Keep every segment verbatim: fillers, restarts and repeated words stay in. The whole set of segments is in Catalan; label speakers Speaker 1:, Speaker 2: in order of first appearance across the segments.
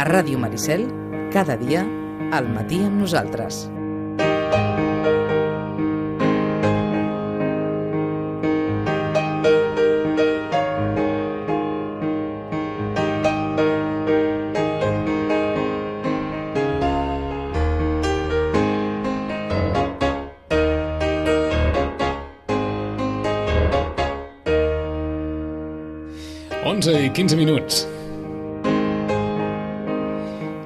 Speaker 1: A Ràdio Maricel, cada dia, al matí amb nosaltres.
Speaker 2: onze i quinze minuts.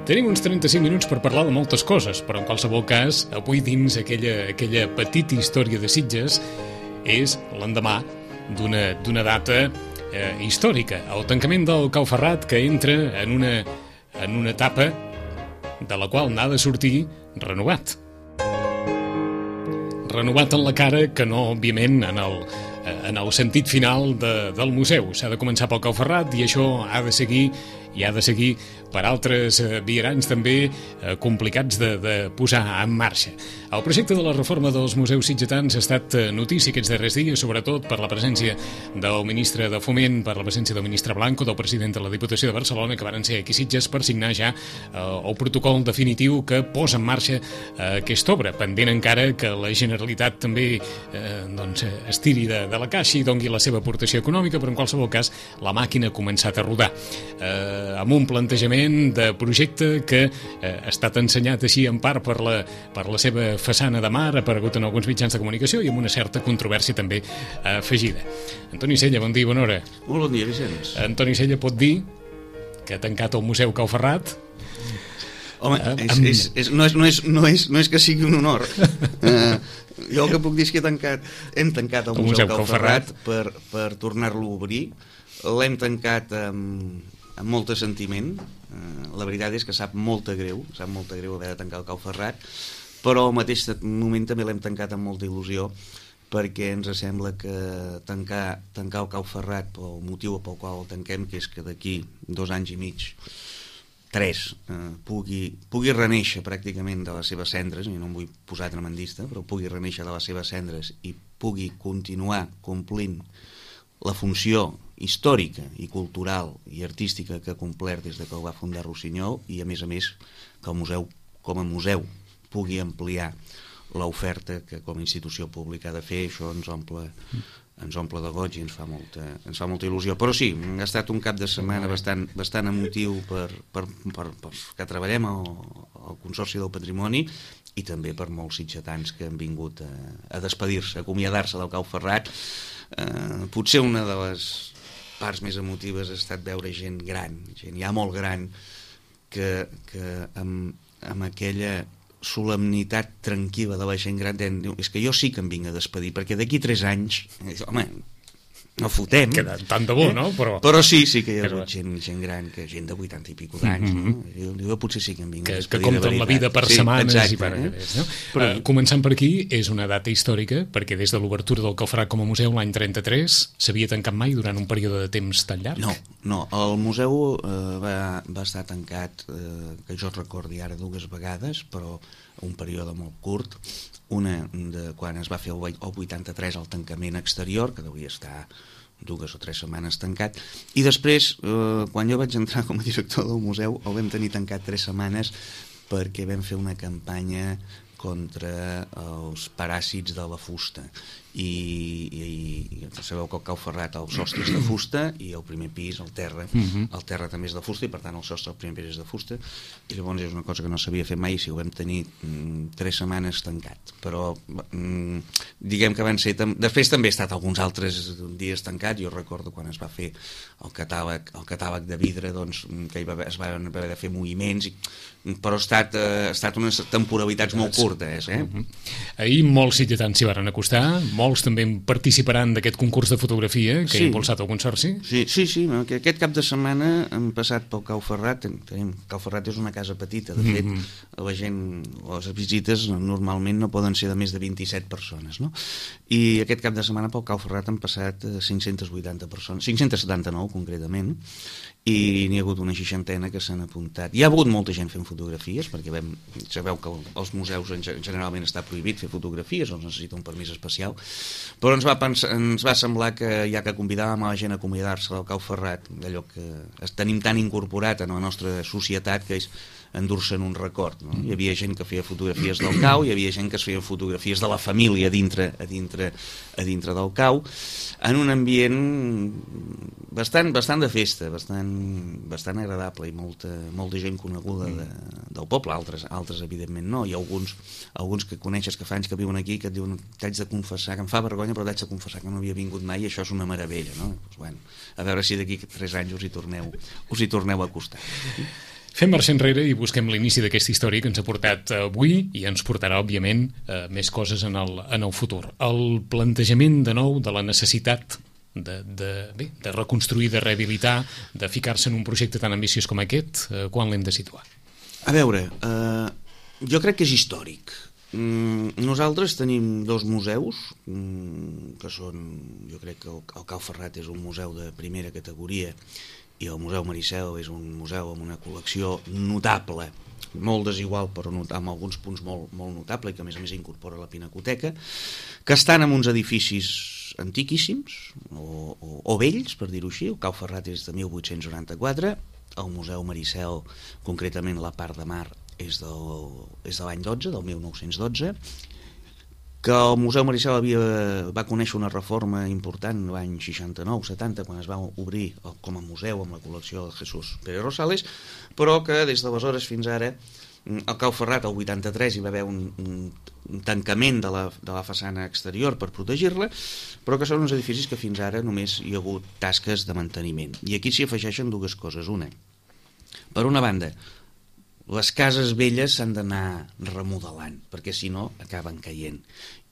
Speaker 2: Tenim uns trenta-cinc minuts per parlar de moltes coses, però en qualsevol cas, avui dins aquella, aquella petita història de Sitges és l'endemà d'una d'una data eh, històrica, el tancament del Cau Ferrat, que entra en una, en una etapa de la qual n'ha de sortir renovat. Renovat en la cara, que no, òbviament, en el, en el sentit final de, del museu. S'ha de començar pel Cau Ferrat i això ha de seguir i ha de seguir per altres eh, viaranys també eh, complicats de, de posar en marxa. El projecte de la reforma dels museus sitgetans ha estat eh, notícia aquests darrers dies, sobretot per la presència del ministre de Foment, per la presència del ministre Blanco, del president de la Diputació de Barcelona, que varen ser aquí a Sitges per signar ja eh, el protocol definitiu que posa en marxa eh, aquesta obra, pendent encara que la Generalitat també eh, doncs, estiri de, de la caixa i dongui la seva aportació econòmica, però en qualsevol cas la màquina ha començat a rodar. Eh, amb un plantejament de projecte que eh, ha estat ensenyat així en part per la, per la seva façana de mar, ha aparegut en alguns mitjans de comunicació i amb una certa controvèrsia també eh, afegida. Antoni Sella, bon dia, bona hora.
Speaker 3: Molt bon dia, Vicenç.
Speaker 2: Antoni Sella pot dir que ha tancat el Museu Cau Ferrat?
Speaker 3: Home, eh, és, amb... és, és, no, és, no, és, no, és, no és que sigui un honor. eh, jo el que puc dir és que he tancat, hem tancat el, el Museu, Museu Cau Ferrat per, per tornar-lo a obrir. L'hem tancat amb... amb molt de sentiment. Eh, la veritat és que sap molt de greu, sap molt de greu haver de tancar el Cau Ferrat, però al mateix moment també l'hem tancat amb molta il·lusió, perquè ens sembla que tancar, tancar el Cau Ferrat pel motiu pel qual el tanquem, que és que d'aquí dos anys i mig, tres, eh, pugui, pugui reneixer pràcticament de les seves cendres, i no em vull posar tremendista, però pugui reneixer de les seves cendres i pugui continuar complint la funció històrica i cultural i artística que ha complert des de que el va fundar Rossinyol, i a més a més que el museu com a museu pugui ampliar l'oferta que com a institució pública ha de fer. Això ens omple, ens omple de goig i ens fa molta, ens fa molta il·lusió. Però sí, ha estat un cap de setmana bastant, bastant emotiu per, per, per, per que treballem al, al Consorci del Patrimoni i també per molts sitgetans que han vingut a, a despedir-se, a acomiadar-se del Cau Ferrat. Eh, potser una de les parts més emotives ha estat veure gent gran, gent ja molt gran, que, que amb, amb aquella solemnitat tranquil·la de la gent gran diu, és que jo sí que em vinc a despedir, perquè d'aquí tres anys, home, no fotem.
Speaker 2: Queda tant de bo, eh? No? Però...
Speaker 3: però sí, sí que hi ha hagut gent, gent gran, que gent de vuitanta i pico d'anys, mm -hmm. no? Jo, jo potser sí que em vinc
Speaker 2: que,
Speaker 3: a despedir.
Speaker 2: Que compten la vida per sí, setmanes exacte, i per
Speaker 3: eh?
Speaker 2: aquelles, no? Però... Uh, començant per aquí, és una data històrica, perquè des de l'obertura del Cau Ferrat com a museu l'any trenta-tres s'havia tancat mai durant un període de temps tan llarg?
Speaker 3: No, no, el museu eh, va, va estar tancat, eh, que jo recordi ara, dues vegades, però un període molt curt. Una de quan es va fer el vuitanta-tres el tancament exterior, que devia estar dues o tres setmanes tancat, i després, eh, quan jo vaig entrar com a director del museu, el vam tenir tancat tres setmanes perquè vam fer una campanya contra els paràsits de la fusta i, i, i sabeu que el Cau Ferrat el sostre és de fusta i el primer pis, el terra uh-huh. el terra també és de fusta i per tant el sostre el primer pis és de fusta, i llavors és una cosa que no s'havia fet mai, si ho vam tenir mm, tres setmanes tancat, però mm, diguem que van ser tam... després també ha estat alguns altres dies tancat. Jo recordo quan es va fer el catàleg, el catàleg de vidre, doncs, que hi va, es van haver de fer moviments i... però ha estat, eh, ha estat unes temporalitats molt curtes, eh?
Speaker 2: Uh-huh. Ahir molts sitgetans s'hi van acostar, molts també participaran d'aquest concurs de fotografia que sí. ha impulsat el Consorci.
Speaker 3: Sí, sí, sí, que aquest cap de setmana hem passat pel Cau Ferrat. Tenim, Cau Ferrat és una casa petita, de fet, mm-hmm. la gent, les visites normalment no poden ser de més de vint-i-set persones, no? I aquest cap de setmana pel Cau Ferrat han passat cinc-centes vuitanta persones, cinc-centes setanta-nou concretament, i n'hi ha hagut una seixantena que s'han apuntat. Hi ha hagut molta gent fent fotografies, perquè vam, sabeu que els museus generalment està prohibit fer fotografies, o necessita un permís especial, però ens va, pensar, ens va semblar que ja que convidàvem a la gent a convidar-se al Cau Ferrat, allò que tenim tan incorporat en la nostra societat, que és endur-se'n un record, no? Hi havia gent que feia fotografies del cau, hi havia gent que es feia fotografies de la família a dintre, a dintre, a dintre del cau, en un ambient bastant, bastant de festa, bastant, bastant agradable, i molta, molta gent coneguda de, del poble, altres, altres evidentment no, i alguns, alguns que coneixes que fa anys que viuen aquí, que et diuen, t'haig de confessar, que em fa vergonya, però t'haig de confessar que no havia vingut mai, i això és una meravella, no? Pues, bueno, a veure si d'aquí tres anys us hi torneu, us hi torneu a acostar.
Speaker 2: Fem marxa enrere i busquem l'inici d'aquesta història que ens ha portat avui i ens portarà, òbviament, eh, més coses en el, en el futur. El plantejament, de nou, de la necessitat de, de, bé, de reconstruir, de rehabilitar, de ficar-se en un projecte tan ambiciós com aquest, eh, quan l'hem de situar?
Speaker 3: A veure, eh, jo crec que és històric. Mm, nosaltres tenim dos museus, mm, que són, jo crec que el, el Cau Ferrat és un museu de primera categoria, i el Museu Maricel és un museu amb una col·lecció notable, molt desigual però amb alguns punts molt, molt notable, i que a més a més incorpora la Pinacoteca, que estan en uns edificis antiquíssims o, o, o vells, per dir-ho així. El Cau Ferrat és de mil vuit-cents noranta-quatre, el Museu Maricel, concretament la part de mar, és, del, és de l'any dotze, del mil nou-cents dotze, que el Museu Maricel havia, va conèixer una reforma important l'any seixanta-nou setanta, quan es va obrir com a museu amb la col·lecció de Jesús Pérez Rosales, però que des d'aleshores fins ara, al Cau Ferrat, el vuitanta-tres, hi va haver un, un, un tancament de la, de la façana exterior per protegir-la, però que són uns edificis que fins ara només hi ha hagut tasques de manteniment. I aquí s'hi afegeixen dues coses. Una, per una banda, les cases velles s'han d'anar remodelant, perquè si no acaben caient.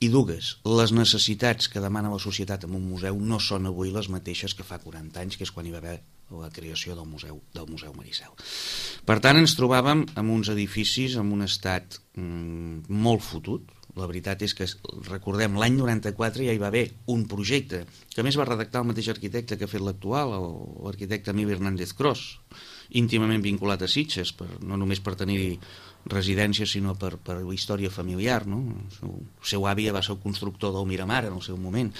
Speaker 3: I dues, les necessitats que demana la societat en un museu no són avui les mateixes que fa quaranta anys, que és quan hi va haver la creació del museu, del museu Maricel. Per tant, ens trobàvem en uns edificis en un estat mm, molt fotut. La veritat és que, recordem, l'any noranta-quatre ja hi va haver un projecte que a més va redactar el mateix arquitecte que ha fet l'actual, l'arquitecte Emili Hernández Cros, íntimament vinculat a Sitges, per, no només per tenir residència, sinó per, per la història familiar, no? El seu, el seu avi va ser el constructor del Miramar en el seu moment.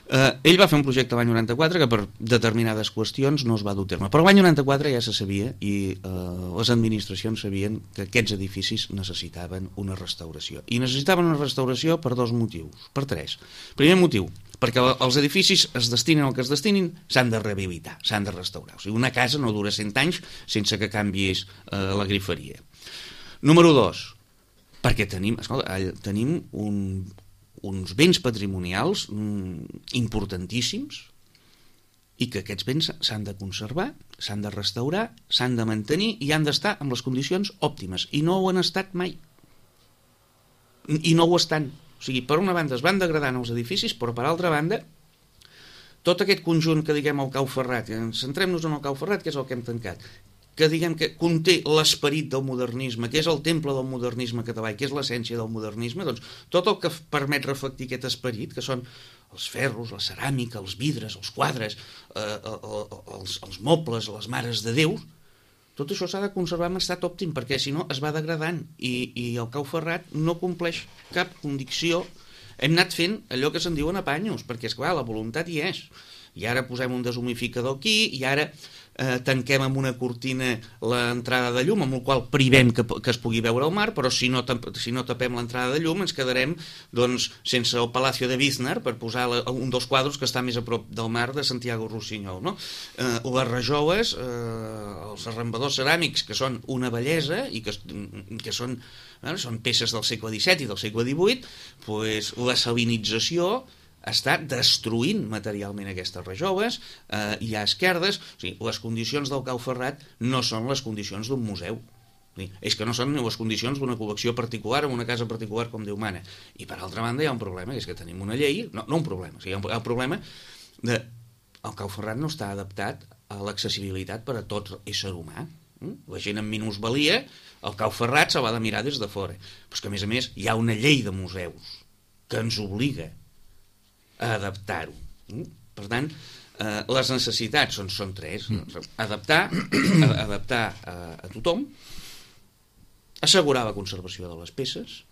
Speaker 3: Eh, ell va fer un projecte l'any noranta-quatre que per determinades qüestions no es va dur a terme, però l'any noranta-quatre ja se sabia i eh, les administracions sabien que aquests edificis necessitaven una restauració, i necessitaven una restauració per dos motius, per tres. Primer motiu, perquè els edificis es destinen al que es destinin, s'han de rehabilitar, s'han de restaurar. O sigui, una casa no dura cent anys sense que canvies eh, la griferia. Número dos, perquè tenim, escolta, tenim un, uns béns patrimonials mm, importantíssims, i que aquests béns s'han de conservar, s'han de restaurar, s'han de mantenir i han d'estar en les condicions òptimes, i no ho han estat mai. I no ho estan. O sigui, per una banda es van degradant els edificis, però per altra banda, tot aquest conjunt que diguem el Cau Ferrat, centrem-nos en el Cau Ferrat, que és el que hem tancat, que diguem que conté l'esperit del modernisme, que és el temple del modernisme català i que és l'essència del modernisme, doncs tot el que permet reflectir aquest esperit, que són els ferros, la ceràmica, els vidres, els quadres, eh, els, els mobles, les mares de Déu, tot això s'ha de conservar en estat òptim, perquè si no es va degradant, i, i el Cau Ferrat no compleix cap condició. Hem anat fent allò que se'n diuen apanyos, perquè, esclar, la voluntat hi és. I ara posem un deshumificador aquí, i ara eh, tanquem amb una cortina l'entrada de llum, amb la qual privem que, que es pugui veure el mar, però si no, si no tapem l'entrada de llum ens quedarem doncs, sense el Palacio de Biznar, per posar la, un dels quadres que està més a prop del mar de Santiago Rossinyol, no? Eh, les rajoles, eh, els arrambadors ceràmics, que són una bellesa i que, que són, eh, són peces del segle disset i del segle divuit, pues, la salinització està destruint materialment aquestes rajoles, eh, hi ha esquerdes, o sigui, les condicions del Cau Ferrat no són les condicions d'un museu. És que no són les condicions d'una col·lecció particular en una casa particular com Déu mana. I per altra banda hi ha un problema, que és que tenim una llei, no, no un problema, o sigui, hi ha un problema de el Cau Ferrat no està adaptat a l'accessibilitat per a tot ésser humà. La gent amb minusvalia, el Cau Ferrat se l'ha de mirar des de fora. Però és que, a més a més, hi ha una llei de museus que ens obliga a adaptar-ho. Per tant, eh, les necessitats són, són tres. Adaptar, adaptar a, a tothom, assegurar la conservació de les peces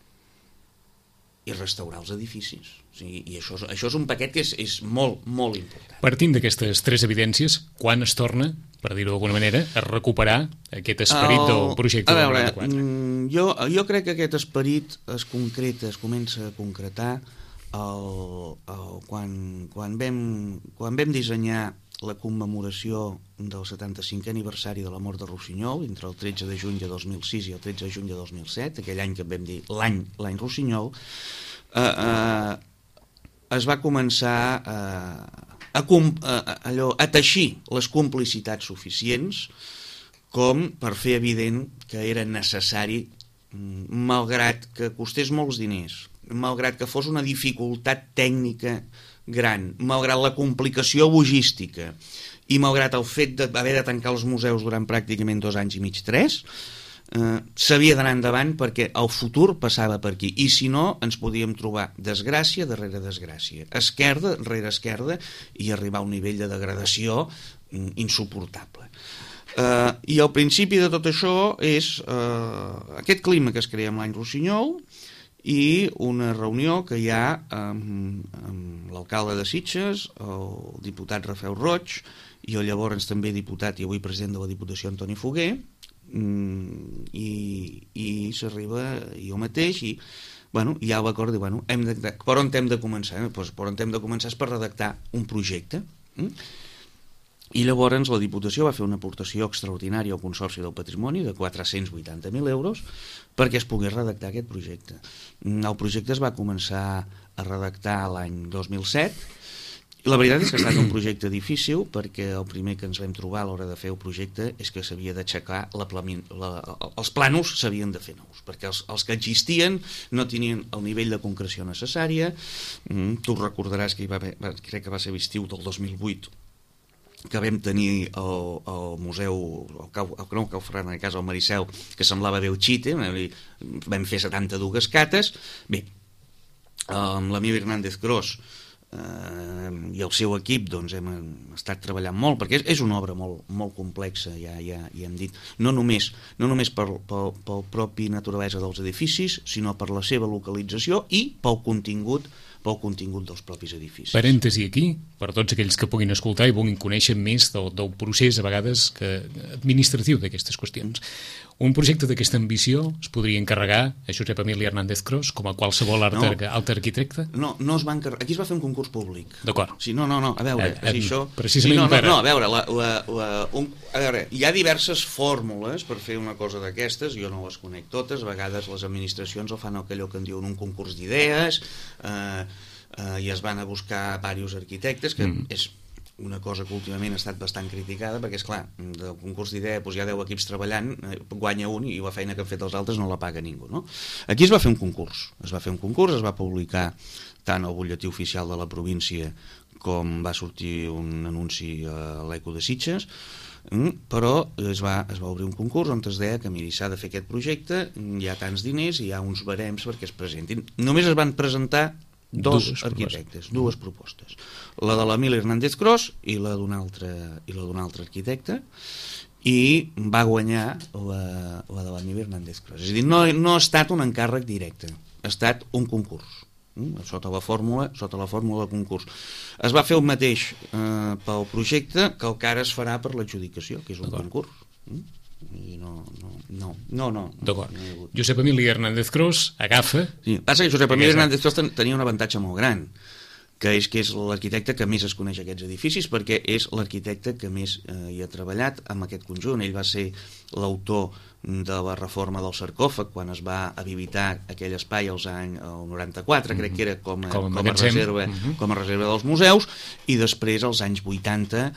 Speaker 3: i restaurar els edificis. O sigui, i això, això és un paquet que és, és molt, molt important.
Speaker 2: Partint d'aquestes tres evidències, quan es torna, per dir-ho d'alguna manera, a recuperar aquest esperit el, del projecte
Speaker 3: a veure,
Speaker 2: del noranta-quatre?
Speaker 3: Jo, jo crec que aquest esperit es concreta, es comença a concretar el, el, quan, quan, vam, quan vam dissenyar la commemoració del setanta-cinquè aniversari de la mort de Rossinyol, entre el tretze de juny de dos mil sis i el tretze de juny de dos mil set, aquell any que en vam dir l'any l'any Rossinyol, eh, eh, es va començar a, a, a, allò, a teixir les complicitats suficients com per fer evident que era necessari, malgrat que costés molts diners, malgrat que fos una dificultat tècnica gran, malgrat la complicació logística i malgrat el fet d'haver de tancar els museus durant pràcticament dos anys i mig, tres, eh, s'havia d'anar endavant perquè el futur passava per aquí, i si no ens podíem trobar desgràcia darrere desgràcia, esquerda rere esquerda, i arribar a un nivell de degradació mm, insuportable. Eh, I el principi de tot això és eh, aquest clima que es crea amb l'any Rossinyol i una reunió que hi ha amb, amb l'alcalde de Sitges, el diputat Rafael Roig, i el llavors també diputat i avui president de la Diputació Antoni Foguer, i, i s'arriba jo mateix, i bueno, hi ha l'acord de, bueno, hem de, per on hem de començar? Eh? Pues, per on hem de començar és per redactar un projecte. Eh? I llavors la Diputació va fer una aportació extraordinària al Consorci del Patrimoni de quatre-cents vuitanta mil euros perquè es pogués redactar aquest projecte. El projecte es va començar a redactar l'any dos mil set. La veritat és que ha estat un projecte difícil perquè el primer que ens vam trobar a l'hora de fer el projecte és que s'havia d'aixecar la, la, els plànols s'havien de fer nous, perquè els, els que existien no tenien el nivell de concreció necessària. Mm, tu recordaràs que hi va haver, crec que va ser l'estiu del dos mil vuit, que vam tenir el, el museu, el Cau, el, no, el Cau Ferran, en el cas el Maricel, que semblava Belchite, vam fer setanta-dues cates. Bé, amb l'Emili Hernández Cros eh, i el seu equip doncs, hem estat treballant molt, perquè és, és una obra molt, molt complexa, ja, ja, ja hem dit, no només, no només per, pel, pel propi naturalesa dels edificis, sinó per la seva localització i pel contingut pel contingut dels propis edificis.
Speaker 2: Parèntesi aquí, per tots aquells que puguin escoltar i vulguin conèixer més del, del procés, a vegades, que, administratiu d'aquestes qüestions. Un projecte d'aquesta ambició es podria encarregar a Josep Emili Hernández Cros com a qualsevol altre, no, altre arquitecte?
Speaker 3: No, no es va encarregar. Aquí es va fer un concurs públic.
Speaker 2: D'acord.
Speaker 3: Sí, no, no, no, a veure, eh, si això...
Speaker 2: Precisament
Speaker 3: sí, no, no,
Speaker 2: per...
Speaker 3: no, a veure, la, la, la, un, a veure, hi ha diverses fórmules per fer una cosa d'aquestes, jo no les conec totes, a vegades les administracions el fan allò que en diuen un concurs d'idees, eh, eh, i es van a buscar diversos arquitectes, que mm. és una cosa que últimament ha estat bastant criticada, perquè, és clar, del concurs d'idea doncs hi ha deu equips treballant, eh, guanya un i la feina que han fet els altres no la paga ningú, no? Aquí es va fer un concurs, es va fer un concurs, es va publicar tant al butlletí oficial de la província com va sortir un anunci a l'Eco de Sitges, però es va, es va obrir un concurs on es deia que miri, s'ha de fer aquest projecte, hi ha tants diners i hi ha uns barems perquè es presentin. Només es van presentar dos dues arquitectes, propostes. dues propostes, la de l'Emili Hernández Cros i la d'un altre, i la d'un altre arquitecte, i va guanyar la, la de l'Emili Hernández Cros. És a dir, no, no ha estat un encàrrec directe, ha estat un concurs, sota la fórmula, sota la fórmula de concurs. Es va fer el mateix eh, pel projecte que el que ara es farà per l'adjudicació, que és un concurs. I no, no, no, no, no.
Speaker 2: D'acord. No Josep Emili Hernández Cros agafa...
Speaker 3: Sí, passa que Josep Emili Hernández Cros tenia un avantatge molt gran, que és que és l'arquitecte que més es coneix aquests edificis, perquè és l'arquitecte que més eh, hi ha treballat amb aquest conjunt. Ell va ser l'autor de la reforma del sarcòfag quan es va habilitar aquell espai als anys noranta-quatre, mm-hmm. crec que era com a, com a, com a, reserva, mm-hmm. com a reserva dels museus, i després als anys vuitanta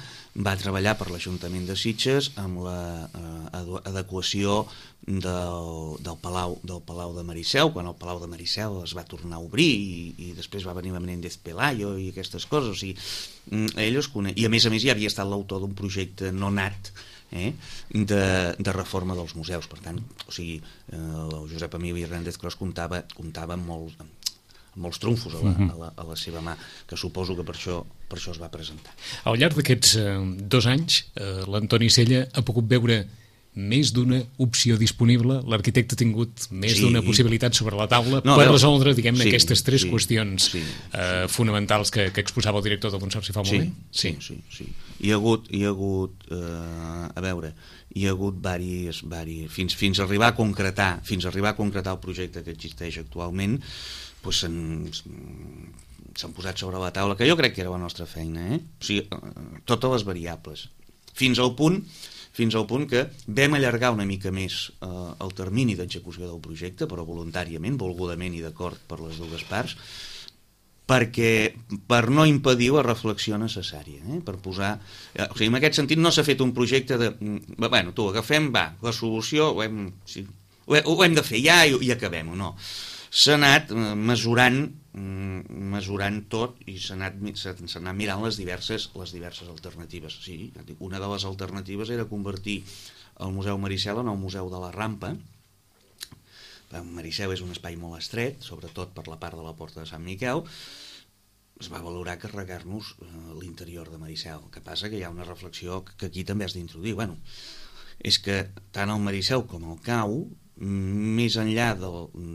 Speaker 3: va treballar per l'Ajuntament de Sitges amb la eh, adequació del, del, Palau, del Palau de Maricel, quan el Palau de Maricel es va tornar a obrir i, i després va venir Menéndez Pelayo i aquestes coses. O sigui, ell es coneix, i a més a més ja havia estat l'autor d'un projecte no nat eh, de, de reforma dels museus. Per tant, o sigui, eh, el Josep Emili Hernández Cros comptava, comptava amb, molt, amb molts trumfos a la, a, la, a la seva mà, que suposo que per això per això es va presentar.
Speaker 2: Al llarg d'aquests eh, dos anys, eh, l'Antoni Sella ha pogut veure més d'una opció disponible, l'arquitecte ha tingut més sí. d'una possibilitat sobre la taula no, per veure, resoldre, diguem-ne, sí, aquestes tres sí, qüestions sí, eh, sí. fonamentals que, que exposava el director del Consorci fa un
Speaker 3: sí,
Speaker 2: moment?
Speaker 3: Sí, sí, sí, sí. Hi ha hagut, hi ha hagut eh, a veure, hi ha hagut varis, varis fins, fins a arribar a concretar, fins a arribar a concretar el projecte que existeix actualment, doncs s'han posat sobre la taula, que jo crec que era la nostra feina, eh? O sigui, totes les variables, fins al punt fins al punt que vam allargar una mica més eh, el termini d'execució del projecte, però voluntàriament, volgudament i d'acord per les dues parts, perquè per no impedir la reflexió necessària, eh? Per posar... Eh, o sigui, en aquest sentit no s'ha fet un projecte de... Bueno, tu, agafem, va, la solució, ho hem, sí, ho, ho hem de fer ja i, i acabem-ho, no. S'ha anat mesurant mesurant tot i s'ha anat, s'ha anat mirant les diverses, les diverses alternatives. Sí, una de les alternatives era convertir el Museu Maricel en el Museu de la Rampa. Maricel és un espai molt estret, sobretot per la part de la Porta de Sant Miquel. Es va valorar carregar-nos l'interior de Maricel. El que passa que hi ha una reflexió que aquí també has d'introduir. Bueno, és que tant el Maricel com el Cau, més enllà de,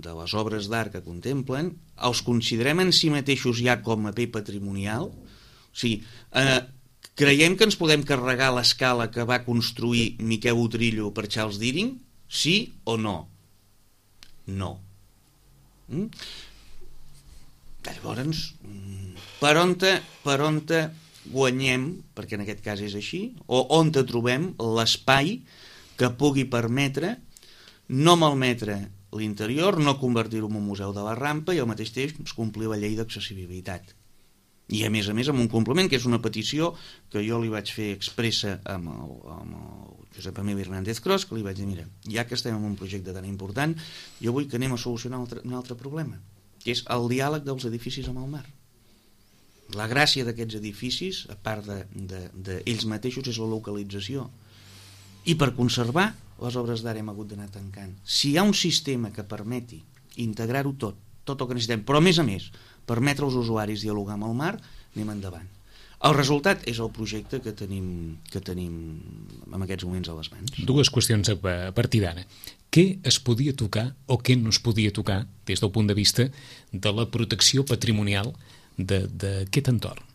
Speaker 3: de les obres d'art que contemplen, els considerem en si mateixos ja com a bé patrimonial? O sigui, eh, creiem que ens podem carregar l'escala que va construir Miquel Utrillo per Charles Deering? Sí o no? No. Mm? Llavors, per on, te, per on te guanyem, perquè en aquest cas és així, o on te trobem l'espai que pugui permetre no malmetre l'interior, no convertir-ho en un museu de la rampa i al mateix temps complir la llei d'accessibilitat. I a més a més amb un complement, que és una petició que jo li vaig fer expressa amb el, amb el Josep Emili Hernández Cros, que li vaig dir, mira, ja que estem en un projecte tan important, jo vull que anem a solucionar un altre, un altre problema, que és el diàleg dels edificis amb el mar. La gràcia d'aquests edificis, a part d'ells de, de, de mateixos, és la localització. I per conservar, les obres d'art hem hagut d'anar tancant. Si hi ha un sistema que permeti integrar-ho tot, tot el que necessitem, però a més a més, permetre als usuaris dialogar amb el mar, anem endavant. El resultat és el projecte que tenim, que tenim en aquests moments a les mans.
Speaker 2: Dues qüestions a partir d'ara. Què es podia tocar o què no es podia tocar des del punt de vista de la protecció patrimonial d'aquest entorn?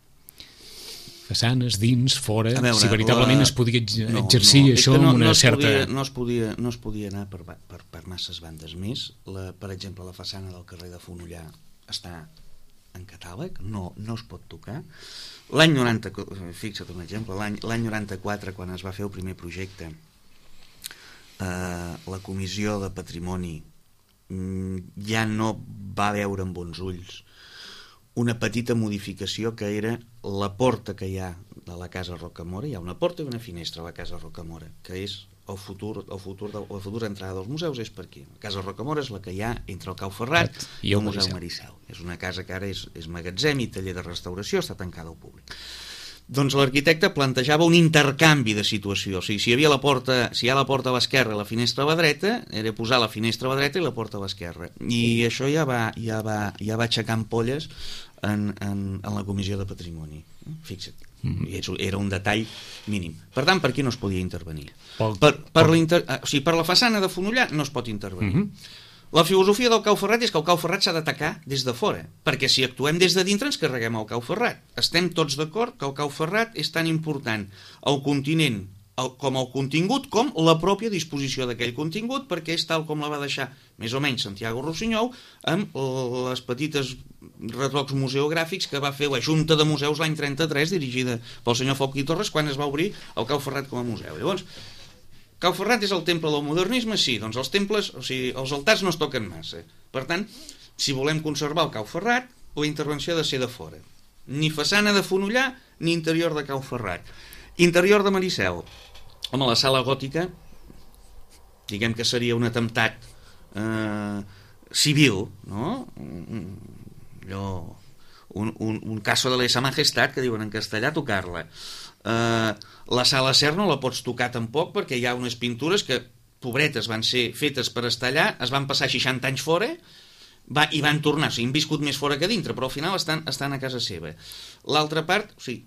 Speaker 2: Façanes, dins, fora, veure, si veritablement la... es podia exercir no, no, això
Speaker 3: no,
Speaker 2: amb una
Speaker 3: no
Speaker 2: certa...
Speaker 3: Podia, no, es podia, no es podia anar per, per, per masses bandes més. La, per exemple, la façana del carrer de Fonollar està en catàleg, no, no es pot tocar. L'any noranta, fixa't un exemple, l'any noranta-quatre, quan es va fer el primer projecte, eh, la Comissió de Patrimoni ja no va veure amb bons ulls una petita modificació que era la porta que hi ha de la Casa Rocamora. Hi ha una porta i una finestra a la Casa Rocamora, que és el futur, el futur de, la futura entrada dels museus és per aquí. La Casa Rocamora és la que hi ha entre el Cau Ferrat i el, el Museu Maricel. És una casa que ara és, és magatzem i taller de restauració, està tancada al públic. Doncs l'arquitecte plantejava un intercanvi de situació. O sigui, si hi havia la porta, si hi ha la porta a l'esquerra i la finestra a la dreta, era posar la finestra a la dreta i la porta a l'esquerra. I això ja va, ja va, ja va aixecar ampolles en, en, en la Comissió de Patrimoni. Fixa't. Mm-hmm. Era un detall mínim. Per tant, per aquí no es podia intervenir. Per, per, per, l'inter... o sigui, per la façana de Fonollar no es pot intervenir. Mm-hmm. La filosofia del Cau Ferrat és que el Cau Ferrat s'ha d'atacar des de fora, perquè si actuem des de dintre ens carreguem el Cau Ferrat. Estem tots d'acord que el Cau Ferrat és tan important el continent el, com el contingut com la pròpia disposició d'aquell contingut, perquè és tal com la va deixar més o menys Santiago Rossinyol amb les petites retocs museogràfics que va fer la Junta de Museus l'any trenta-tres, dirigida pel senyor Folch i Torres, quan es va obrir el Cau Ferrat com a museu. Llavors, Cau Ferrat és el temple del modernisme? Sí, doncs els temples, o sigui, els altars no es toquen massa. Per tant, si volem conservar el Cau Ferrat, la intervenció ha de ser de fora. Ni façana de Fonollar, ni interior de Cau Ferrat. Interior de Maricel. Home, la sala gòtica, diguem que seria un atemptat eh, civil, no? Allò, un, un, un caso de lesa majestat, que diuen en castellà, tocar-la. Uh, la sala Ser no la pots tocar tampoc perquè hi ha unes pintures que, pobretes, van ser fetes per estar allà, es van passar seixanta anys fora va, i van tornar, o sigui, han viscut més fora que dintre, però al final estan, estan a casa seva. L'altra part, o sigui,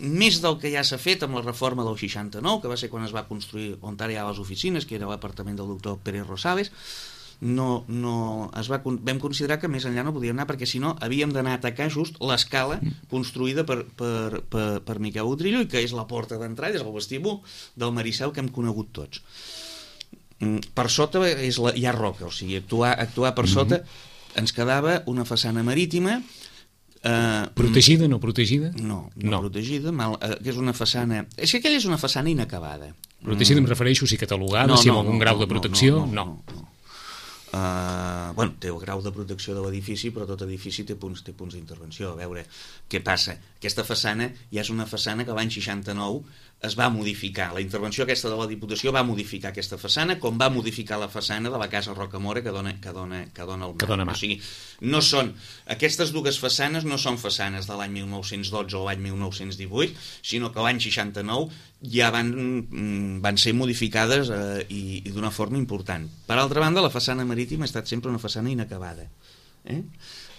Speaker 3: més del que ja s'ha fet amb la reforma del seixanta-nou, que va ser quan es va construir on ara hi ha les oficines, que era l'apartament del doctor Pérez Rosales, no, no, es va, vam considerar que més enllà no podíem anar, perquè si no havíem d'anar a atacar just l'escala construïda per, per, per, per Miquel Utrillo, i que és la porta d'entrada, és el vestíbul del Maricel que hem conegut tots. Per sota és la, hi ha roca, o sigui, actuar, actuar per sota ens quedava una façana marítima.
Speaker 2: Uh, protegida, no protegida?
Speaker 3: No, no, no. protegida, mal, uh, que és una façana... És que aquella és una façana inacabada.
Speaker 2: Protegida mm. em refereixo, si catalogada, no, si amb no, algun no, grau no, de protecció?
Speaker 3: No, no, no, no, no. Uh, bueno, té el grau de protecció de l'edifici, però tot edifici té punts, té punts d'intervenció. A veure què passa. Aquesta façana ja és una façana que l'any seixanta-nou es va modificar. La intervenció aquesta de la Diputació va modificar aquesta façana, com va modificar la façana de la Casa Rocamora que dona, que dona, que dona el mar.
Speaker 2: Dona mar.
Speaker 3: O sigui, no són, aquestes dues façanes no són façanes de l'any mil nou-cents dotze o l'any mil nou-cents divuit, sinó que l'any seixanta-nou ja van, van ser modificades eh, i, i d'una forma important. Per altra banda, la façana marítima ha estat sempre una façana inacabada. Eh?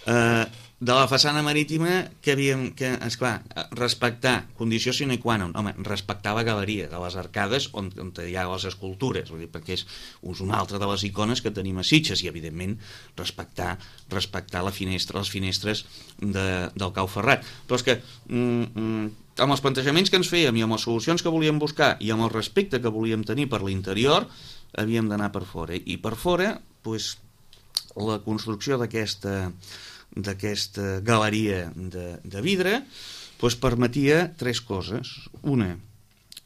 Speaker 3: Eh, de la façana marítima que havíem, que, esclar, respectar, condició sine qua non, home, respectar la galeria de les arcades on, on hi ha les escultures, vull dir, perquè és una altra de les icones que tenim a Sitges, i evidentment respectar, respectar la finestra, les finestres de, del Cau Ferrat. Però és que mm, mm, amb els plantejaments que ens fèiem i amb les solucions que volíem buscar i amb el respecte que volíem tenir per l'interior, havíem d'anar per fora, i per fora, doncs, la construcció d'aquesta d'aquesta galeria de, de vidre doncs permetia tres coses. Una,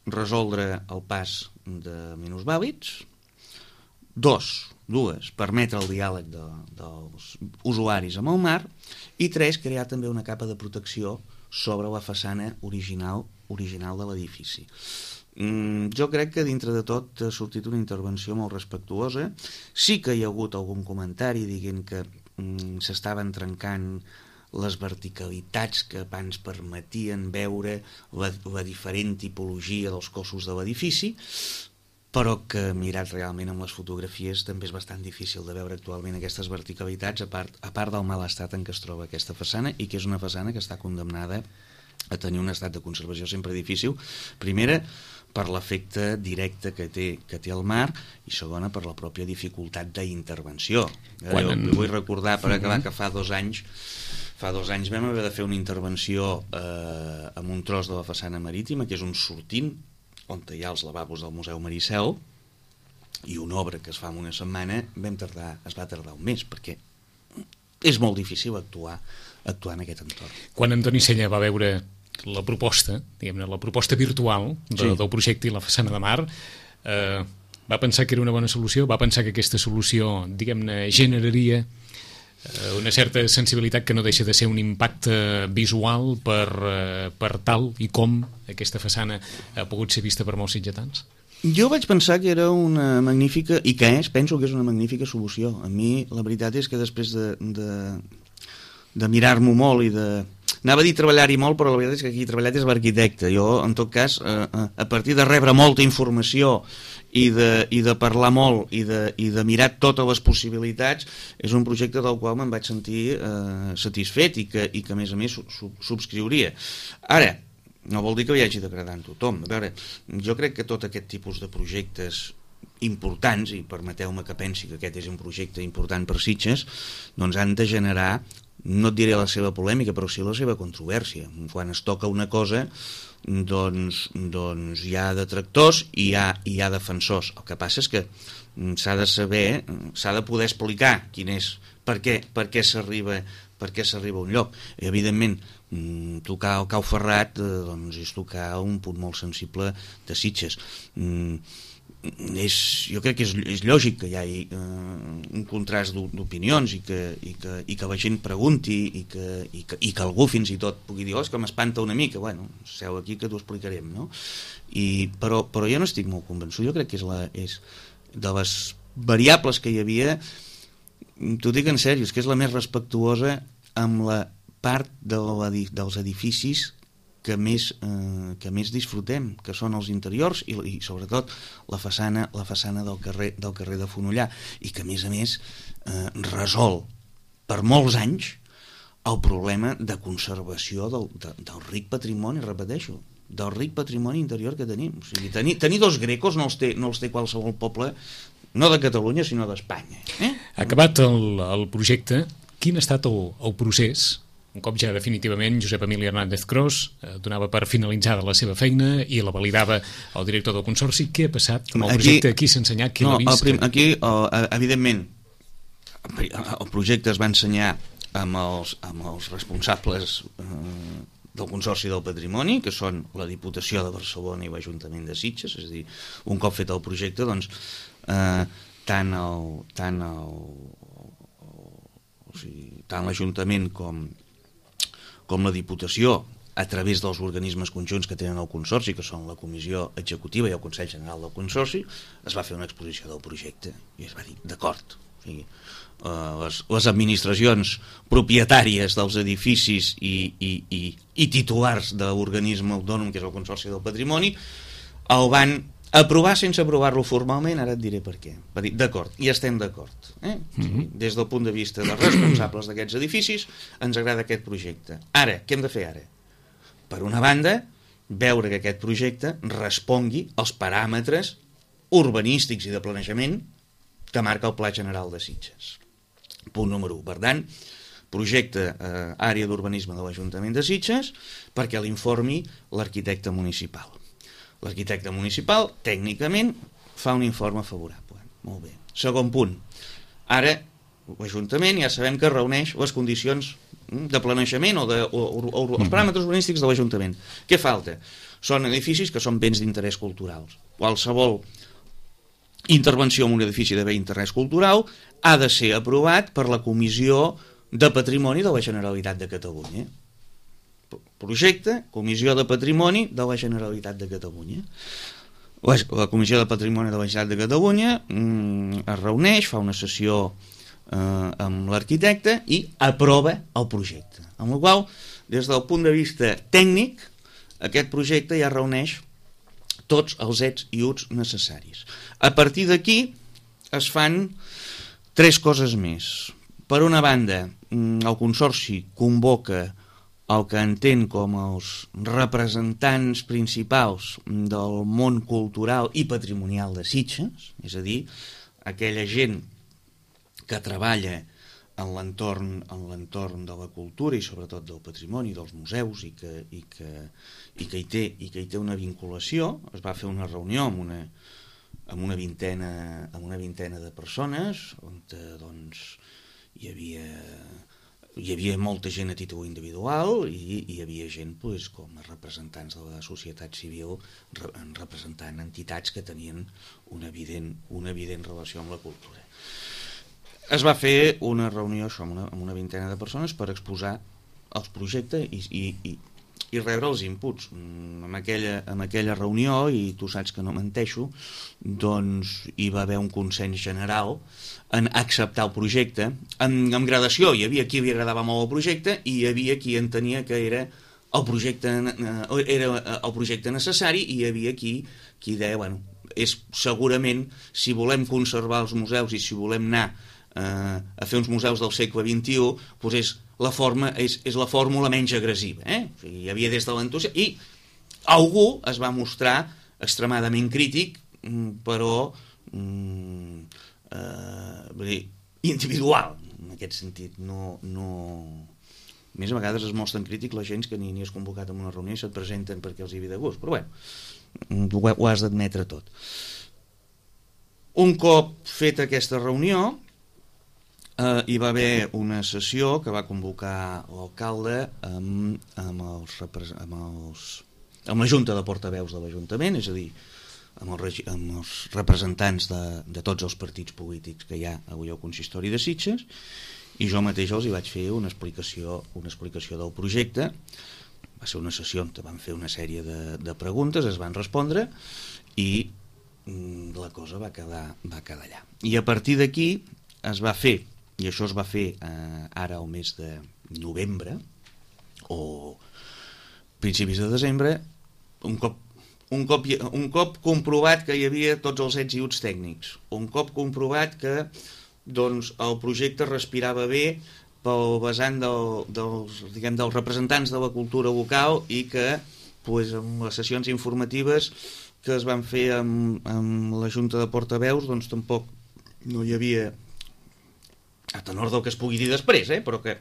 Speaker 3: resoldre el pas de minusvàlids. Dos, dues, permetre el diàleg de, dels usuaris amb el mar. I tres, crear també una capa de protecció sobre la façana original, original de l'edifici. Mm, jo crec que dintre de tot ha sortit una intervenció molt respectuosa. Sí que hi ha hagut algun comentari dient que mm, s'estaven trencant les verticalitats que abans permetien veure la, la diferent tipologia dels cossos de l'edifici, però que mirat realment amb les fotografies també és bastant difícil de veure actualment aquestes verticalitats, a part, a part del mal estat en què es troba aquesta façana, i que és una façana que està condemnada a tenir un estat de conservació sempre difícil. Primera, per l'efecte directe que té, que té el mar, i segona, per la pròpia dificultat d'intervenció. Jo en... vull recordar, per acabar, que fa dos anys fa dos anys vam haver de fer una intervenció eh, amb un tros de la façana marítima, que és un sortint on hi ha els lavabos del Museu Maricel, i una obra que es fa en una setmana vam tardar, es va tardar un mes, perquè és molt difícil actuar, actuar en aquest entorn.
Speaker 2: Quan Antoni Sella va veure la proposta, diguem-ne, la proposta virtual de, sí. del projecte i la façana de mar, eh, va pensar que era una bona solució, va pensar que aquesta solució, diguem-ne, generaria eh, una certa sensibilitat que no deixa de ser un impacte visual per, eh, per tal i com aquesta façana ha pogut ser vista per molts sitgetans?
Speaker 3: Jo vaig pensar que era una magnífica, i que és, penso que és una magnífica solució. A mi la veritat és que després de, de, de mirar-m'ho molt i de... Anava a dir treballar-hi molt, però la veritat és que aquí he treballat és l'arquitecte. Jo, en tot cas, eh, a partir de rebre molta informació i de, i de parlar molt i de, i de mirar totes les possibilitats, és un projecte del qual me'n vaig sentir eh, satisfet i que, i que, a més a més, sub, subscriuria. Ara, no vol dir que hi hagi d'agradar a tothom. A veure, jo crec que tot aquest tipus de projectes importants, i permeteu-me que pensi que aquest és un projecte important per Sitges, doncs han de generar, no et diré la seva polèmica, però sí la seva controvèrsia. Quan es toca una cosa, doncs, doncs hi ha detractors i hi ha, hi ha defensors. El que passa és que s'ha de saber, s'ha de poder explicar quin és, per què, per què s'arriba per què s'arriba a un lloc. I, evidentment, tocar el Cau Ferrat eh, doncs és tocar un punt molt sensible de Sitges. Mm, és, jo crec que és, és lògic que hi hagi eh, un contrast d'opinions i que, i, que, i que la gent pregunti i que, i, que, i que algú fins i tot pugui dir, oh, és que m'espanta una mica. Bueno, seu aquí que t'ho explicarem, no? I, però, però jo no estic molt convençut. Jo crec que és, la, és de les variables que hi havia, t'ho dic en sèrio, és que és la més respectuosa amb la part de dels edificis que més, eh, que més disfrutem, que són els interiors i, i sobretot la façana, la façana del carrer, del carrer de Fonollar, i que a més a més eh, resol per molts anys el problema de conservació del, de, del ric patrimoni, repeteixo, del ric patrimoni interior que tenim. O sigui, tenir, tenir dos grecos no els té, no els té qualsevol poble, no de Catalunya, sinó d'Espanya. Eh?
Speaker 2: Acabat el, el projecte, quin ha estat el, el procés? Un cop ja definitivament Josep Emili Hernández Cros eh, donava per finalitzada la seva feina i la validava el director del Consorci, què ha passat amb el
Speaker 3: Aquí,
Speaker 2: projecte? Qui s'ha ensenyat? Qui
Speaker 3: no,
Speaker 2: l'ha vist?
Speaker 3: Prim, aquí, uh, evidentment, el projecte es va ensenyar amb els, amb els responsables uh, del Consorci del Patrimoni, que són la Diputació de Barcelona i l'Ajuntament de Sitges. És a dir, un cop fet el projecte, doncs, eh, tant el, tant el, o sigui, tant l'Ajuntament com com la Diputació, a través dels organismes conjunts que tenen el Consorci, que són la Comissió Executiva i el Consell General del Consorci, es va fer una exposició del projecte i es va dir, d'acord. O sigui, uh, les, les administracions propietàries dels edificis i, i, i, i titulars de l'organisme autònom, que és el Consorci del Patrimoni, el van aprovar sense aprovar-lo formalment. Ara et diré per què. Va dir, d'acord, i estem d'acord. Eh? Mm-hmm. Des del punt de vista dels responsables d'aquests edificis, ens agrada aquest projecte. Ara, què hem de fer ara? Per una banda, veure que aquest projecte respongui als paràmetres urbanístics i de planejament que marca el Pla General de Sitges. Punt número u. Per tant, projecte eh, àrea d'urbanisme de l'Ajuntament de Sitges perquè l'informi l'arquitecte municipal. L'arquitecte municipal, tècnicament, fa un informe favorable. Molt bé. Segon punt. Ara, l'Ajuntament ja sabem que reuneix les condicions de planejament o, de, o, o, o els paràmetres urbanístics de l'Ajuntament. Què falta? Són edificis que són béns d'interès culturals. Qualsevol intervenció en un edifici de bé d'interès cultural ha de ser aprovat per la Comissió de Patrimoni de la Generalitat de Catalunya. Projecte, Comissió de Patrimoni de la Generalitat de Catalunya. La Comissió de Patrimoni de la Generalitat de Catalunya mm, es reuneix, fa una sessió eh, amb l'arquitecte i aprova el projecte. Amb la qual, des del punt de vista tècnic, aquest projecte ja reuneix tots els ets i uts necessaris. A partir d'aquí es fan tres coses més. Per una banda, el Consorci convoca el que entén com els representants principals del món cultural i patrimonial de Sitges, és a dir, aquella gent que treballa en l'entorn en l'entorn de la cultura i sobretot del patrimoni, dels museus, i que, i que, i que, hi, té, i que hi té una vinculació. Es va fer una reunió amb una, amb una, vintena, amb una vintena de persones on doncs, hi havia... hi havia molta gent a títol individual i hi havia gent pues, com a representants de la societat civil representant entitats que tenien una evident, una evident relació amb la cultura. Es va fer una reunió això, amb, una, amb una vintena de persones per exposar els projectes i, i, i, i rebre els inputs. En aquella, en aquella reunió, i tu saps que no menteixo, doncs hi va haver un consens general en acceptar el projecte. En, en gradació hi havia qui li agradava molt el projecte i hi havia qui entenia que era el projecte, eh, era el projecte necessari, i hi havia qui, qui deia, bueno, és segurament, si volem conservar els museus i si volem anar eh, a fer uns museus del segle vint-i-u, doncs és la forma, és, és la fórmula menys agressiva. Eh? O sigui, hi havia des de l'entusiasme, i algú es va mostrar extremadament crític, però mm, eh, dir, individual, en aquest sentit. No, no... Més a vegades es mostren crític la gent que ni, ni és convocat en una reunió i se't presenten perquè els hi ve de gust, però bueno, ho, ho has d'admetre tot. Un cop feta aquesta reunió, eh, hi va haver una sessió que va convocar l'alcalde amb, amb, els, amb, els, amb la Junta de Portaveus de l'Ajuntament, és a dir, amb els, amb els representants de, de tots els partits polítics que hi ha avui al Consistori de Sitges, i jo mateix els hi vaig fer una explicació, una explicació del projecte. Va ser una sessió on van fer una sèrie de, de preguntes, es van respondre i mm, la cosa va quedar, va quedar allà. I a partir d'aquí es va fer, i això es va fer eh, ara al mes de novembre, o principis de desembre, un cop, un cop, un cop comprovat que hi havia tots els ets i uts tècnics, un cop comprovat que doncs, el projecte respirava bé pel vessant del, dels, diguem, dels representants de la cultura local i que pues, amb les sessions informatives que es van fer amb, amb la Junta de Portaveus doncs tampoc no hi havia, a tenor del que es pugui dir després, eh? Però que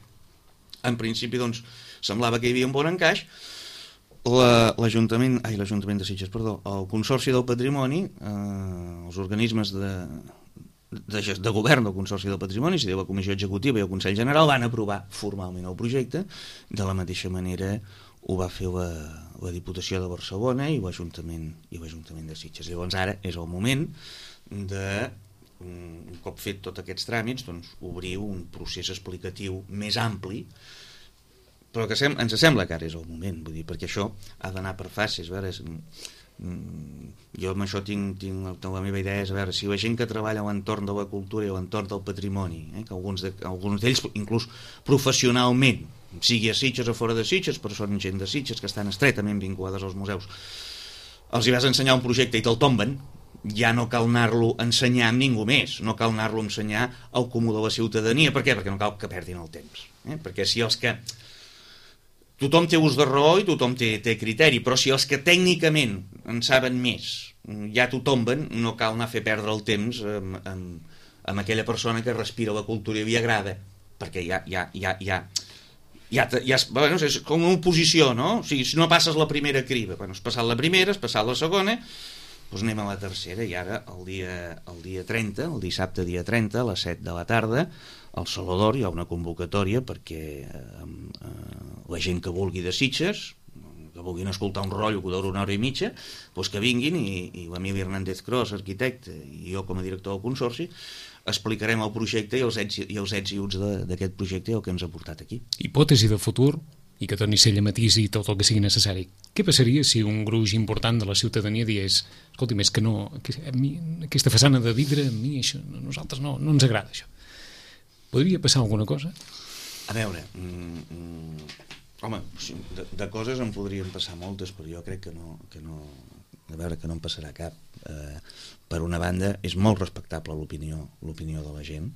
Speaker 3: en principi doncs, semblava que hi havia un bon encaix. L'Ajuntament, ai, l'Ajuntament de Sitges, perdó, el Consorci del Patrimoni, eh, els organismes de, de, de govern del Consorci del Patrimoni, si diu la Comissió Executiva i el Consell General, van aprovar formalment el projecte. De la mateixa manera ho va fer la, la Diputació de Barcelona i l'Ajuntament i l'Ajuntament de Sitges. Llavors ara és el moment de, un cop fet tots aquests tràmits, doncs, obrir un procés explicatiu més ampli, però que sem ens sembla que ara és el moment, vull dir, perquè això ha d'anar per fases. A veure, és, mm, jo amb això tinc, tinc la meva idea és, a veure, si la gent que treballa a l'entorn de la cultura i a l'entorn del patrimoni, eh, que alguns d'ells, alguns d'ells inclús professionalment, sigui a Sitges o fora de Sitges, però són gent de Sitges que estan estretament vinculades als museus, els hi vas ensenyar un projecte i te'l tomben, ja no cal anar-lo a ensenyar amb ningú més, no cal anar-lo a ensenyar al comú de la ciutadania. Per què? Perquè no cal que perdin el temps. Eh? Perquè si els que... Tothom té ús de raó i tothom té, té criteri, però si els que tècnicament en saben més ja t'ho tomben, no cal anar a fer perdre el temps amb, amb, amb aquella persona que respira la cultura i li agrada, perquè ja... ja, ja, ja Ja, ja, bueno, és com una oposició, no? O sigui, si no passes la primera criba, bueno, has passat la primera, has passat la segona, doncs anem a la tercera, i ara el dia, el dia trenta, el dissabte dia trenta, a les set de la tarda, al Saló d'Or hi ha una convocatòria perquè eh, eh, la gent que vulgui de Sitges, que vulguin escoltar un rotllo que dura una hora i mitja, doncs que vinguin, i, i l'Emili Hernández Cros, arquitecte, i jo com a director del Consorci, explicarem el projecte i els ets i, els ets i uts d'aquest projecte i el que ens ha portat aquí.
Speaker 2: Hipòtesi de futur, i que torni a ser matís i tot el que sigui necessari. Què passaria si un gruix important de la ciutadania digués, escolti, més que no, que, a mi, aquesta façana de vidre, a mi això, a nosaltres no, no ens agrada això. Podria passar alguna cosa?
Speaker 3: A veure, mm, mm, home, de, de coses en podrien passar moltes, però jo crec que no, que no, a veure, que no en passarà cap. Eh, per una banda, és molt respectable l'opinió l'opinió de la gent.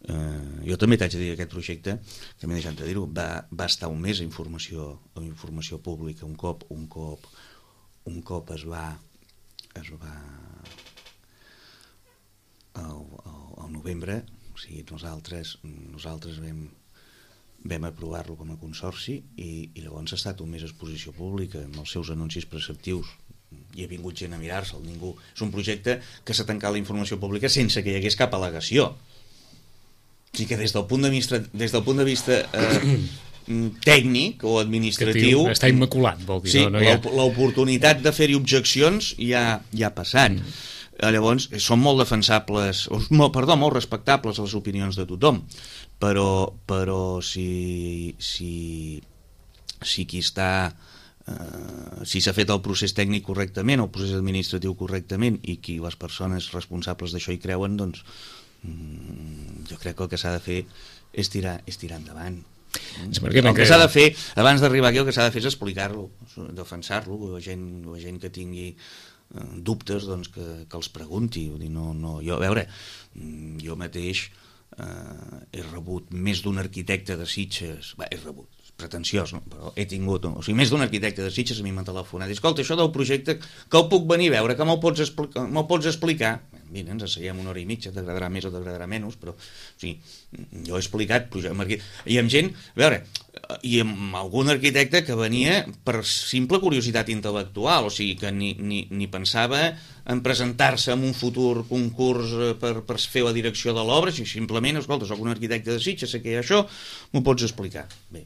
Speaker 3: Eh, jo també t'haig de dir que aquest projecte, que m'he deixat de dir-ho, va, va estar un mes a informació, a informació pública. Un cop, un cop, un cop es va es va al, al, al novembre, o sigui, nosaltres nosaltres vam vam aprovar-lo com a consorci i, i llavors ha estat un mes a exposició pública amb els seus anuncis preceptius. Hi ha vingut gent a mirar-se'l, ningú... És un projecte que s'ha tancat la informació pública sense que hi hagués cap al·legació. O sigui que des del punt de vista, des del punt de vista eh, tècnic o administratiu...
Speaker 2: Està immaculat, vol dir.
Speaker 3: Sí,
Speaker 2: no, no ha...
Speaker 3: l'oportunitat de fer-hi objeccions ja, ja ha passat. Mm. Llavors, són molt defensables, molt, perdó, molt respectables les opinions de tothom, però, però si, si, si qui està... Uh, si s'ha fet el procés tècnic correctament, el procés administratiu correctament, i qui les persones responsables d'això hi creuen, doncs mm, jo crec que el que s'ha de fer és tirar, és tirar endavant.
Speaker 2: Sí,
Speaker 3: el que, que s'ha de fer abans d'arribar aquí, el que s'ha de fer és explicar-lo, defensar-lo, la gent, la gent que tingui uh, dubtes, doncs que, que els pregunti. Vull dir, no, no, jo, a veure, jo mateix uh, he rebut més d'un arquitecte de Sitges, bé, he rebut pretensiós, no? Però he tingut, o sigui, més d'un arquitecte de Sitges a mi m'ha telefonat, i escolta, això del projecte, que el puc venir a veure, que me'l pots, expli me pots explicar? Vine, ens asseiem una hora i mitja, t'agradarà més o t'agradarà menys, però, o sigui, jo he explicat, i amb gent, a veure, i amb algun arquitecte que venia per simple curiositat intel·lectual, o sigui, que ni, ni, ni pensava en presentar-se en un futur concurs per, per fer la direcció de l'obra, si simplement, escolta, soc un arquitecte de Sitges, sé que hi ha això, m'ho pots explicar? Bé,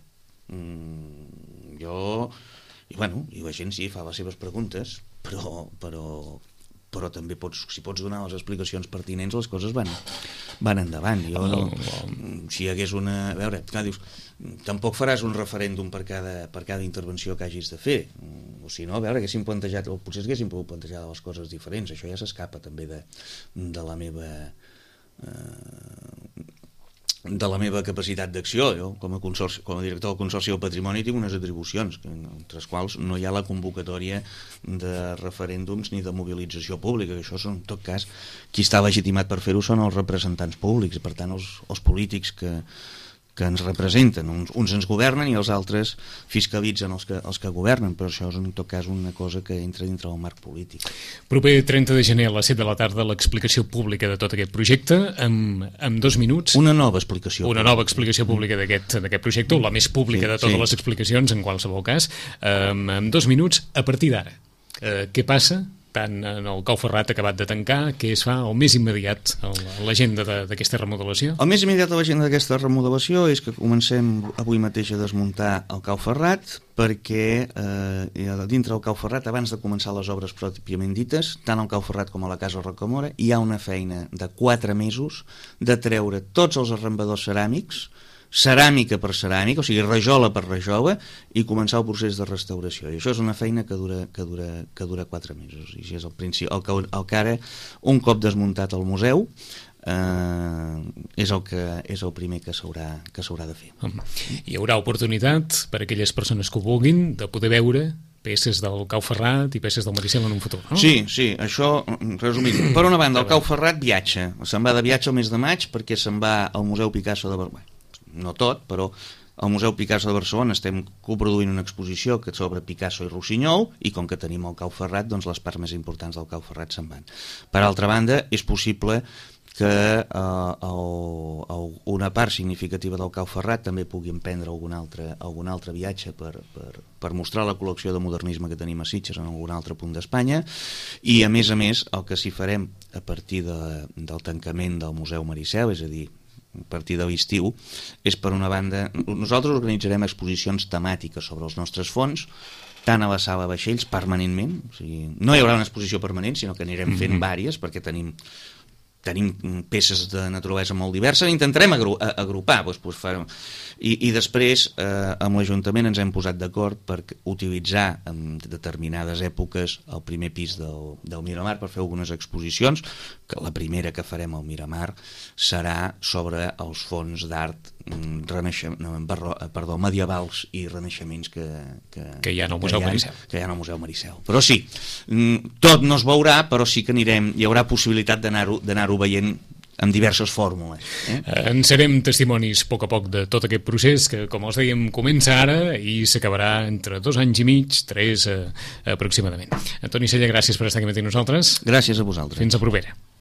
Speaker 3: Mm, jo i bueno, i la gent sí fa les seves preguntes, però però, però també pots, si pots donar les explicacions pertinents, les coses van, van endavant. Jo, no, si hi hagués una... A veure, clar, dius, tampoc faràs un referèndum per cada, per cada intervenció que hagis de fer, o si no, a veure, haguéssim plantejat, o potser haguéssim pogut plantejar les coses diferents. Això ja s'escapa també de, de la meva... Eh, de la meva capacitat d'acció. Jo, com a, consorci, com a director del Consorci del Patrimoni, tinc unes atribucions, entre les quals no hi ha la convocatòria de referèndums ni de mobilització pública, que això són, en tot cas, qui està legitimat per fer-ho són els representants públics, per tant, els, els polítics que, que ens representen. Uns, uns ens governen i els altres fiscalitzen els que, els que governen, però això és en tot cas una cosa que entra dintre del marc polític.
Speaker 2: Proper trenta de gener a les set de la tarda l'explicació pública de tot aquest projecte, amb, amb dos minuts.
Speaker 3: Una nova explicació.
Speaker 2: Una nova explicació pública d'aquest d'aquest projecte, la més pública sí, de totes sí. les explicacions, en qualsevol cas, amb, amb dos minuts a partir d'ara. Eh, què passa? Tant en el Cau Ferrat acabat de tancar, què es fa el més immediat a l'agenda d'aquesta remodelació?
Speaker 3: El més immediat a l'agenda d'aquesta remodelació és que comencem avui mateix a desmuntar el Cau Ferrat, perquè eh, dintre del Cau Ferrat, abans de començar les obres pròpiament dites, tant al Cau Ferrat com a la Casa Rocamora, hi ha una feina de quatre mesos de treure tots els arrambadors ceràmics, ceràmica per ceràmica, o sigui, rajola per rajola, i començar el procés de restauració. I això és una feina que dura, que dura, que dura quatre mesos. I és el, principi, el, que, el que ara, un cop desmuntat el museu, eh, és, el que, és el primer que s'haurà que s'haurà de fer.
Speaker 2: Hi haurà oportunitat per a aquelles persones que ho vulguin de poder veure peces del Cau Ferrat i peces del Maricel en un futur, no?
Speaker 3: Sí, sí, això, resumint. Per una banda, el Cau Ferrat viatja. Se'n va de viatge el mes de maig perquè se'n va al Museu Picasso de Barcelona. No tot, però al Museu Picasso de Barcelona estem coproduint una exposició que sobre Picasso i Rossinyol, i com que tenim el Cau Ferrat, doncs les parts més importants del Cau Ferrat se'n van. Per altra banda, és possible que eh, el, el, una part significativa del Cau Ferrat també pugui emprendre algun altre, algun altre viatge per, per, per mostrar la col·lecció de modernisme que tenim a Sitges en algun altre punt d'Espanya, i a més a més el que s'hi farem a partir de, del tancament del Museu Maricel, és a dir, a partir de l'estiu, és per una banda, nosaltres organitzarem exposicions temàtiques sobre els nostres fons, tant a la sala vaixells permanentment, o sigui, no hi haurà una exposició permanent, sinó que anirem fent mm-hmm. vàries, perquè tenim tenim peces de naturalesa molt diverses, intentarem agru agrupar doncs, doncs, fer... I, i després eh, amb l'Ajuntament ens hem posat d'acord per utilitzar en determinades èpoques el primer pis del, del Miramar per fer algunes exposicions, que la primera que farem al Miramar serà sobre els fons d'art no, perdó, medievals i renaixements que, que,
Speaker 2: que hi ha al Museu Maricel.
Speaker 3: Que hi ha al Museu Maricel. Però sí, tot no es veurà, però sí que anirem, hi haurà possibilitat d'anar-ho d'anar-ho veient amb diverses fórmules. Eh?
Speaker 2: En serem testimonis a poc a poc de tot aquest procés que, com els dèiem, comença ara i s'acabarà entre dos anys i mig, tres eh, aproximadament. Antoni Cella, gràcies per estar aquí amb nosaltres.
Speaker 3: Gràcies a vosaltres.
Speaker 2: Fins a propera.